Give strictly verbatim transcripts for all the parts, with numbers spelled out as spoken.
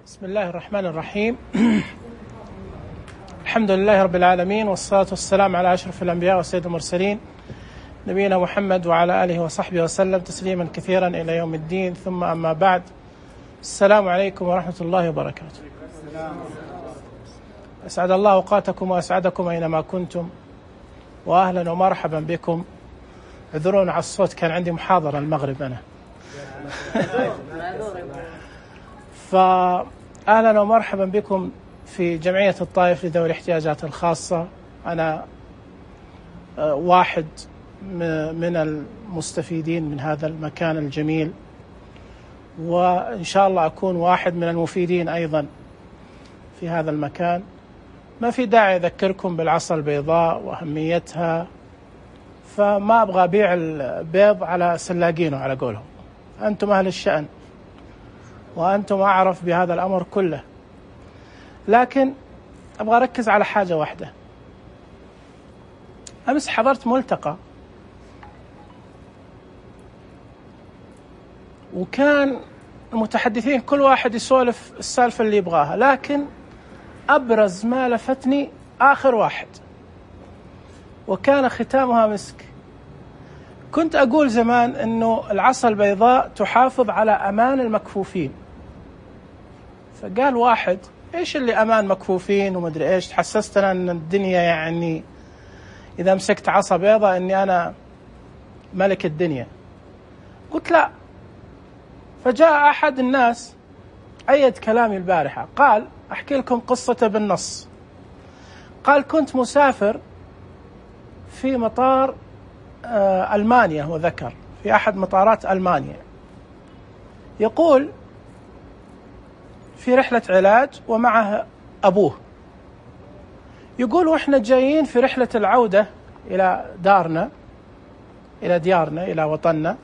بسم الله الرحمن الرحيم. الحمد لله رب العالمين، والصلاة والسلام على أشرف الأنبياء وسيد المرسلين نبينا محمد وعلى آله وصحبه وسلم تسليما كثيرا إلى يوم الدين. ثم أما بعد، السلام عليكم ورحمة الله وبركاته. أسعد الله أوقاتكم وأسعدكم أينما كنتم، وأهلا ومرحبا بكم. اعذرون على الصوت، كان عندي محاضرة المغرب أنا. فأهلا ومرحبا بكم في جمعية الطائف لذوي الاحتياجات الخاصة. أنا واحد من المستفيدين من هذا المكان الجميل، وإن شاء الله أكون واحد من المفيدين أيضا في هذا المكان. ما في داعي أذكركم بالعصا البيضاء وأهميتها، فما أبغى أبيع البيض على سلاقينه على قولهم. أنتم أهل الشأن وأنتم أعرف بهذا الأمر كله، لكن أبغى أركز على حاجة واحدة. أمس حضرت ملتقى، وكان المتحدثين كل واحد يسولف السالفة اللي يبغاها، لكن أبرز ما لفتني آخر واحد، وكان ختامها مسك. كنت أقول زمان أنه العصا البيضاء تحافظ على أمان المكفوفين، فقال واحد: إيش اللي أمان مكفوفين ومدري إيش؟ تحسست أنا أن الدنيا يعني إذا مسكت عصا بيضاء أني أنا ملك الدنيا. قلت لا. فجاء أحد الناس أيد كلامي البارحة، قال: أحكي لكم قصة بالنص. قال: كنت مسافر في مطار ألمانيا، وذكر في أحد مطارات ألمانيا، يقول في رحلة علاج ومعه أبوه. يقول: وإحنا جايين في رحلة العودة إلى دارنا، إلى ديارنا، إلى وطننا،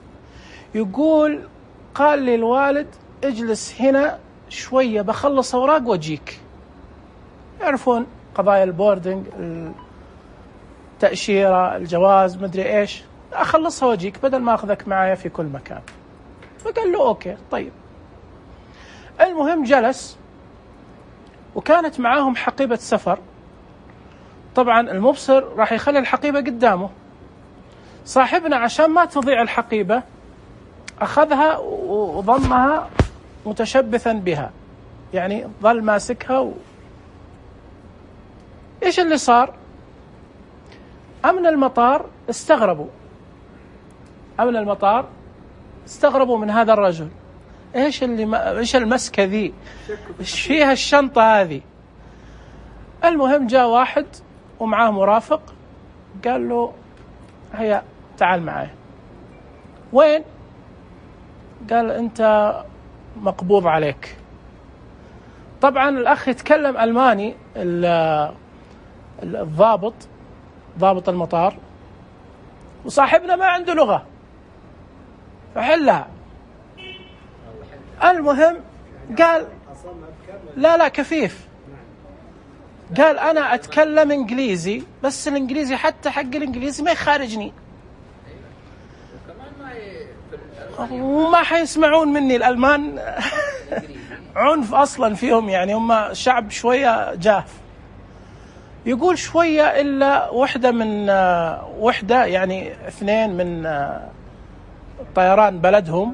يقول: قال لي الوالد: اجلس هنا شوية بخلص أوراق وأجيك. يعرفون قضايا البوردنج، التأشيرة، الجواز، مدري إيش، أخلصها وأجيك بدل ما أخذك معايا في كل مكان. فقال له: أوكي طيب. المهم جلس، وكانت معاهم حقيبة سفر. طبعا المبصر راح يخلي الحقيبة قدامه. صاحبنا عشان ما تضيع الحقيبة أخذها وضمها متشبثا بها، يعني ظل ماسكها و... إيش اللي صار؟ أمن المطار استغربوا، أمن المطار استغربوا من هذا الرجل. إيش اللي ما... إيش المسكة ذي؟ إيش فيها الشنطة هذه؟ المهم جاء واحد ومعاه مرافق، قال له: هيا تعال معي. وين؟ قال: أنت مقبوض عليك. طبعا الأخ يتكلم ألماني، الضابط ضابط المطار، وصاحبنا ما عنده لغة، فحلها. المهم قال: لا لا كفيف. قال: أنا أتكلم إنجليزي، بس الإنجليزي حتى حق الإنجليزي ما يخارجني، وما حيسمعون مني. الألمان عنف أصلا فيهم، يعني هم شعب شوية جاف. يقول: شوية إلا وحدة من وحدة، يعني اثنين من طيران بلدهم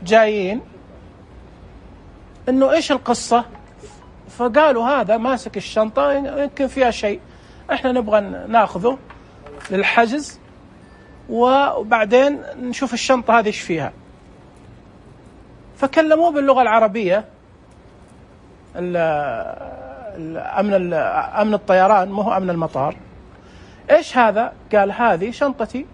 جايين، إنه إيش القصة؟ فقالوا: هذا ماسك الشنطة يمكن فيها شيء، إحنا نبغى ناخذه للحجز وبعدين نشوف الشنطة هذه إيش فيها. فكلموه باللغة العربية، الأمن أمن الطيران، مو هو أمن المطار. إيش هذا؟ قال: هذه شنطتي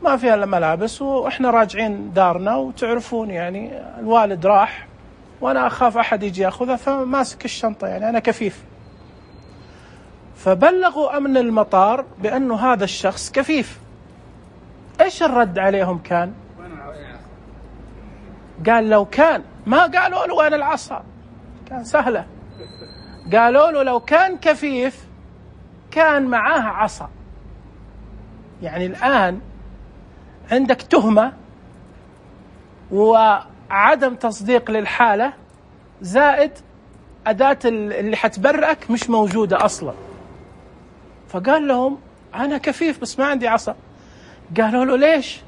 ما فيها إلا ملابس، وإحنا راجعين دارنا، وتعرفون يعني الوالد راح وأنا أخاف أحد يجي يأخذها، فماسك الشنطة، يعني أنا كفيف. فبلغوا أمن المطار بأنه هذا الشخص كفيف. إيش الرد عليهم كان؟ قال: لو كان ما قالوا له وين العصا، كان سهلة. قالوا له لو كان كفيف كان معاه عصا. يعني الآن عندك تهمة وعدم تصديق للحالة، زائد أداة اللي حتبرئك مش موجودة أصلا. فقال لهم أنا كفيف بس ما عندي عصا. قالوا له ليش؟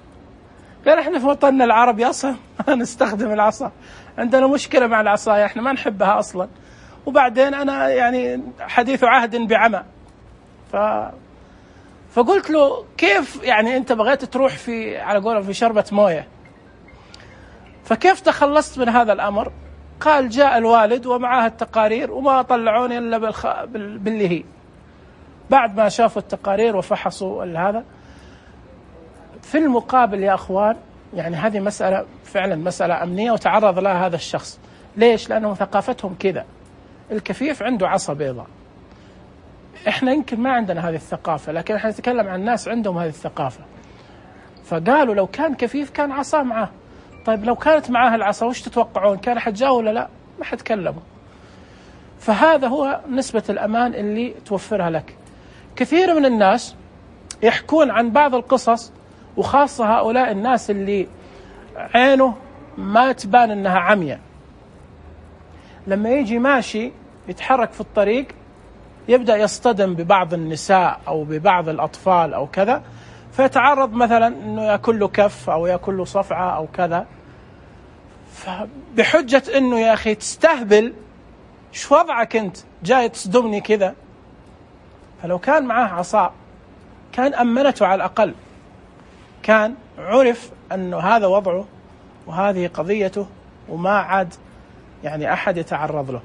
قال إحنا في وطننا العربي أصلا ما نستخدم العصا، عندنا مشكلة مع العصاية، إحنا ما نحبها أصلا، وبعدين أنا يعني حديث عهد بعمى. ف... فقلت له كيف يعني أنت بغيت تروح في على قولة في شربة موية، فكيف تخلصت من هذا الأمر؟ قال جاء الوالد ومعاه التقارير وما طلعوني إلا بالخ... بال... باللي هي بعد ما شافوا التقارير وفحصوا هذا. في المقابل يا أخوان يعني هذه مسألة فعلا مسألة أمنية وتعرض لها هذا الشخص. ليش؟ لأنه ثقافتهم كذا، الكفيف عنده عصا بيضاء، إحنا يمكن ما عندنا هذه الثقافة، لكن إحنا نتكلم عن الناس عندهم هذه الثقافة. فقالوا لو كان كفيف كان عصا معه. طيب لو كانت معاه العصا وش تتوقعون؟ كان حتجاوب ولا لا؟ ما حتكلموا. فهذا هو نسبة الأمان اللي توفرها لك. كثير من الناس يحكون عن بعض القصص، وخاصة هؤلاء الناس اللي عينه ما تبان أنها عمية، لما يجي ماشي يتحرك في الطريق يبدأ يصطدم ببعض النساء أو ببعض الأطفال أو كذا، فيتعرض مثلا أنه يأكل له كف أو يأكل له صفعة أو كذا، فبحجة أنه يا أخي تستهبل، شو وضعك أنت جاي تصدمني كذا؟ فلو كان معاه عصا كان أمنته على الأقل، كان عرف أنه هذا وضعه وهذه قضيته وما عاد يعني أحد يتعرض له.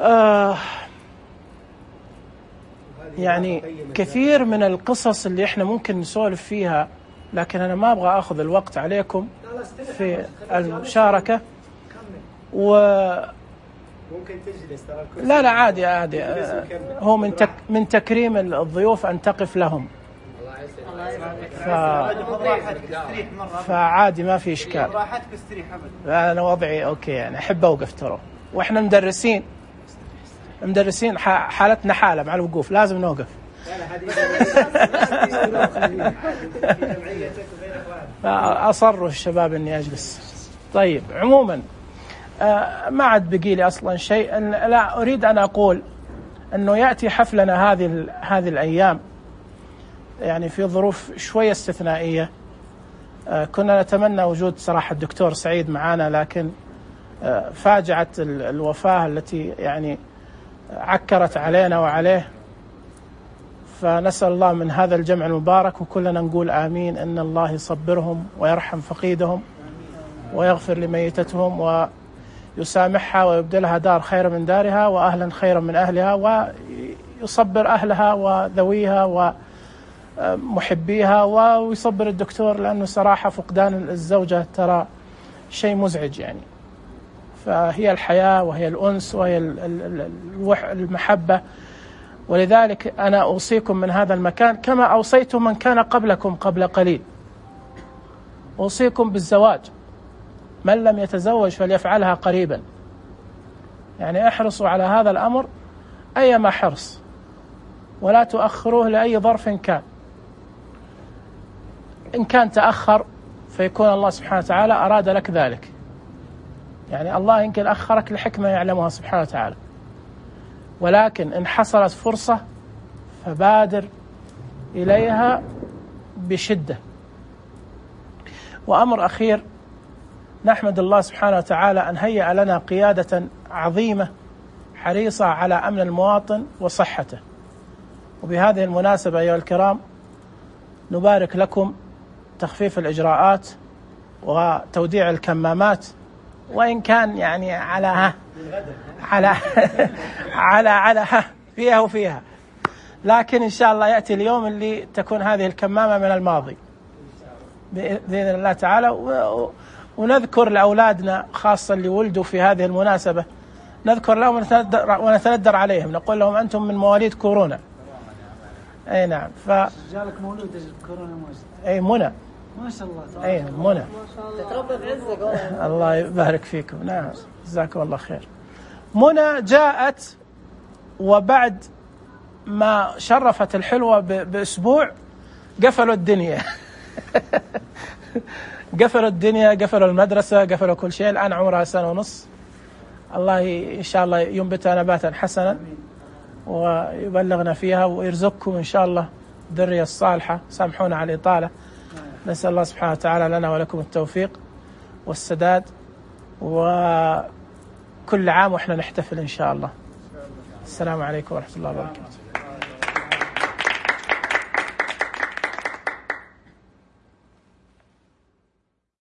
آه يعني كثير من القصص اللي احنا ممكن نسولف فيها، لكن أنا ما أبغى أخذ الوقت عليكم في المشاركة. و ممكن تجلس ترى الكرسي. لا لا عادي عادي، هو من تك من تكريم الضيوف أن تقف لهم، ف... فعادي ما في إشكال. راحتك استريح أبدا. أنا وضعي أوكي يعني أحب أوقف ترى، وإحنا مدرسين مدرسين حالتنا حالة مع الوقوف لازم نوقف. أصروا الشباب إني أجلس. طيب عموما آه ما عاد بقي لي أصلا شيء. لا أريد أن أقول أنه يأتي حفلنا هذه هذه الأيام يعني في ظروف شوية استثنائية. آه كنا نتمنى وجود صراحة الدكتور سعيد معنا، لكن آه فاجعت الوفاة التي يعني عكرت علينا وعليه، فنسأل الله من هذا الجمع المبارك وكلنا نقول آمين أن الله يصبرهم ويرحم فقيدهم ويغفر لميتتهم ويسامحها ويبدلها دار خير من دارها وأهلا خيرا من أهلها، ويصبر أهلها وذويها ومحبيها، ويصبر الدكتور، لأنه صراحة فقدان الزوجة ترى شيء مزعج يعني. فهي الحياة وهي الأنس وهي المحبة، ولذلك أنا أوصيكم من هذا المكان كما أوصيت من كان قبلكم قبل قليل، أوصيكم بالزواج، من لم يتزوج فليفعلها قريبا. يعني احرصوا على هذا الأمر أيما حرص، ولا تؤخروه لأي ظرف كان. إن كان تأخر فيكون الله سبحانه وتعالى أراد لك ذلك، يعني الله يمكن أخرك لحكمة يعلمها سبحانه وتعالى، ولكن إن حصلت فرصة فبادر إليها بشدة. وأمر أخير، نحمد الله سبحانه وتعالى أن هيأ لنا قيادة عظيمة حريصة على أمن المواطن وصحته. وبهذه المناسبة أيها الكرام نبارك لكم تخفيف الإجراءات وتوديع الكمامات، وإن كان يعني على ها على على على ها فيها وفيها، لكن إن شاء الله يأتي اليوم اللي تكون هذه الكمامة من الماضي بإذن الله تعالى. ونذكر لأولادنا خاصة اللي ولدوا في هذه المناسبة، نذكر لهم ونتندر عليهم، نقول لهم أنتم من مواليد كورونا. أي نعم. ف جالك مولود كورونا أي منى ما شاء الله. أي منى تتربى بعزك. الله يبارك فيكم. نعم جزاكم الله خير. منى جاءت وبعد ما شرفت الحلوة بأسبوع قفلوا الدنيا قفلوا الدنيا، قفلوا المدرسة، قفلوا كل شيء. الآن عمرها سنة ونص الله إن شاء الله ينبتها نباتا حسنا ويبلغنا فيها ويرزقكم إن شاء الله الذرية الصالحة. سامحونا على الإطالة. نسأل الله سبحانه وتعالى لنا ولكم التوفيق والسداد، وكل عام وإحنا نحتفل إن شاء الله. السلام عليكم ورحمة الله وبركاته.